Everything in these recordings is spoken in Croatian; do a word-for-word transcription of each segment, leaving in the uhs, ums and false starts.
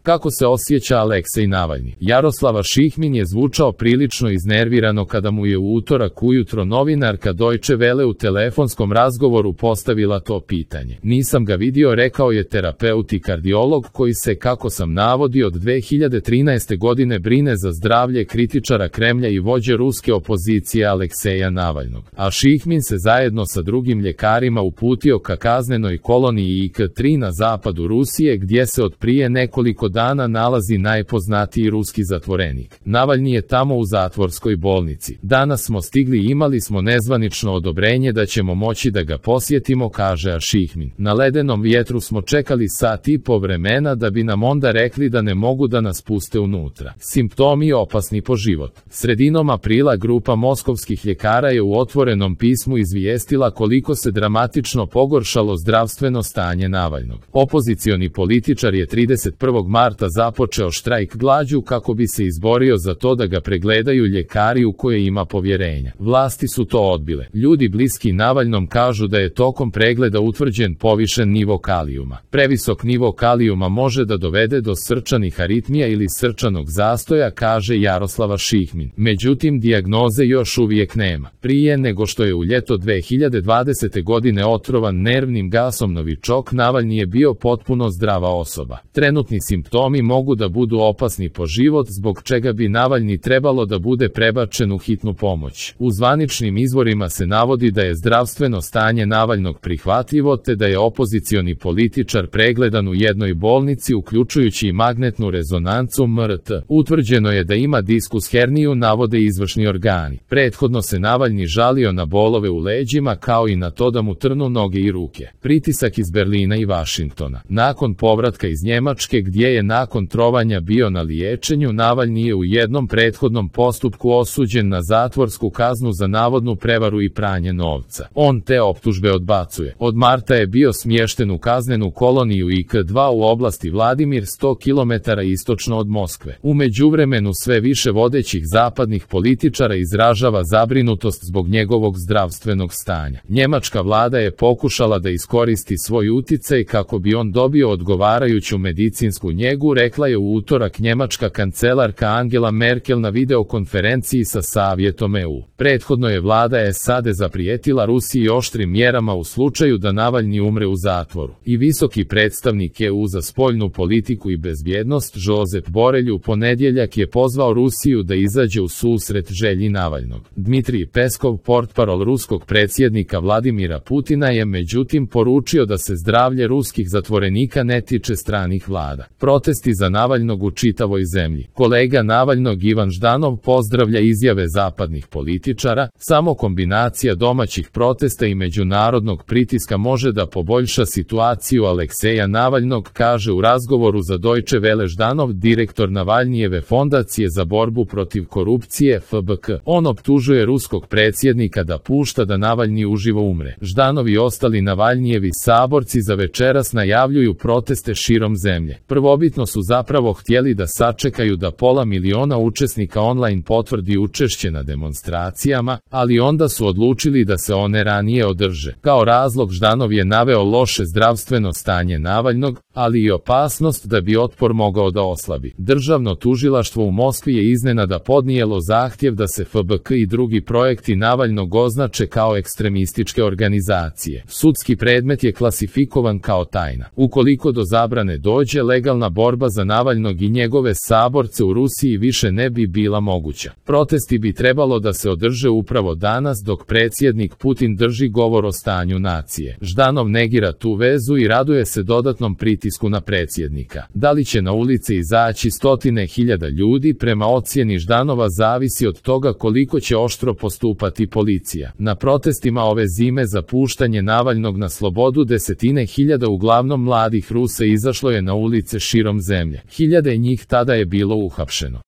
Kako se osjeća Aleksej Navalni? Jaroslava Šihmin je zvučao prilično iznervirano kada mu je u utorak ujutro novinarka Deutsche Welle u telefonskom razgovoru postavila to pitanje. Nisam ga vidio, rekao je terapeut i kardiolog koji se, kako sam navodio, od dve hiljade trinaeste godine brine za zdravlje kritičara Kremlja i vođe ruske opozicije Alekseja Navalnog. A Šihmin se zajedno sa drugim ljekarima uputio ka kaznenoj koloniji I K tri na zapadu Rusije, gdje se od prije nekoliko dana nalazi najpoznatiji ruski zatvorenik. Navalni je tamo u zatvorskoj bolnici. Danas smo stigli i imali smo nezvanično odobrenje da ćemo moći da ga posjetimo, kaže Šihmin. Na ledenom vjetru smo čekali sat i po vremena da bi nam onda rekli da ne mogu da nas puste unutra. Simptomi opasni po život. Sredinom aprila grupa moskovskih ljekara je u otvorenom pismu izvijestila koliko se dramatično pogoršalo zdravstveno stanje Navalnog. Opozicioni političar je trideset prvog marta započeo štrajk glađu kako bi se izborio za to da ga pregledaju ljekari u koje ima povjerenja. Vlasti su to odbile. Ljudi bliski Navalnom kažu da je tokom pregleda utvrđen povišen nivo kalijuma. Previsok nivo kalijuma može da dovede do srčanih aritmija ili srčanog zastoja, kaže Jaroslava Šihmin. Međutim, dijagnoze još uvijek nema. Prije nego što je u ljeto dve hiljade dvadesete godine otrovan nervnim gasom novičok, Navalni je bio potpuno zdrava osoba. Trenutni simptomi mogu da budu opasni po život, zbog čega bi Navalni trebalo da bude prebačen u hitnu pomoć. U zvaničnim izvorima se navodi da je zdravstveno stanje Navalnog prihvatljivo te da je opozicioni političar pregledan u jednoj bolnici uključujući i magnetnu rezonancu M R T. Utvrđeno je da ima diskus herniju, navode izvršni organi. Prethodno se Navalni žalio na bolove u leđima kao i na to da mu trnu noge i ruke. Pritisak iz Berlina i Vašingtona. Nakon povratka iz Njemačke, gdje je nakon trovanja bio na liječenju, Navalni je u jednom prethodnom postupku osuđen na zatvorsku kaznu za navodnu prevaru i pranje novca. On te optužbe odbacuje. Od marta je bio smješten u kaznenu koloniju I K dva u oblasti Vladimir, sto kilometara istočno od Moskve. U međuvremenu sve više vodećih zapadnih političara izražava zabrinutost zbog njegovog zdravstvenog stanja. Njemačka vlada je pokušala da iskoristi svoj uticaj kako bi on dobio odgovarajuću medicinsku njegu, rekla je u utorak njemačka kancelarka Angela Merkel na videokonferenciji sa Savjetom E U. Prethodno je vlada S A D zaprijetila Rusiji oštrim mjerama u slučaju da Navalni umre u zatvoru. I visoki predstavnik E U za spoljnu politiku i bezbjednost Josep Borelj u ponedjeljak je pozvao Rusiju da izađe u susret želji Navalnog. Dmitrij Peskov, portparol ruskog predsjednika Vladimira Putina, je međutim poručio da se zdravlje ruskih zatvorenika ne tiče stranih vlada. Protesti za Navalnog u čitavoj zemlji. Kolega Navalnog Ivan Ždanov pozdravlja izjave zapadnih političara. Samo kombinacija domaćih protesta i međunarodnog pritiska može da poboljša situaciju Alekseja Navalnog, kaže u razgovoru za Deutsche Welle Ždanov, direktor Navalnijeve fondacije za borbu protiv korupcije F B K. On optužuje ruskog predsjednika da pušta da Navalni uživo umre. Ždanov i ostali Navalnijevi saborci za večeras najavljuju proteste širom zemlje. Prvobitno su zapravo htjeli da sačekaju da pola miliona učesnika online potvrdi učešće na demonstracijama, ali onda su odlučili da se one ranije održe. Kao razlog Ždanov je naveo loše zdravstveno stanje Navalnog, ali i opasnost da bi otpor mogao da oslabi. Državno tužilaštvo u Moskvi je iznenada podnijelo zahtjev da se F B K i drugi projekti Navalnog označe kao ekstremističke organizacije. Sudski predmet je klasifikovan kao tajna. Ukoliko do zabrane dođe, legalna borba za Navalnog i njegove saborce u Rusiji više ne bi bila moguća. Protesti bi trebalo da se održe upravo danas dok predsjednik Putin drži govor o stanju nacije. Ždanov negira tu vezu i raduje se dodatnom pritisku na predsjednika. Da li će na ulice izaći stotine hiljada ljudi, prema ocjeni Ždanova zavisi od toga koliko će oštro postupati policija. Na protestima ove zime za puštanje Navalnog na slobodu desetine hiljada uglavnom mladih Rusa izašlo je na ulice širom zemlje. Hiljade njih tada je bilo uhapšeno.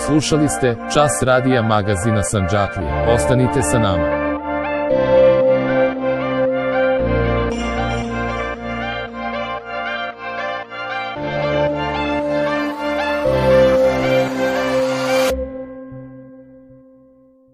Slušali ste Čas radija magazina Sandžaklija. Ostanite sa nama.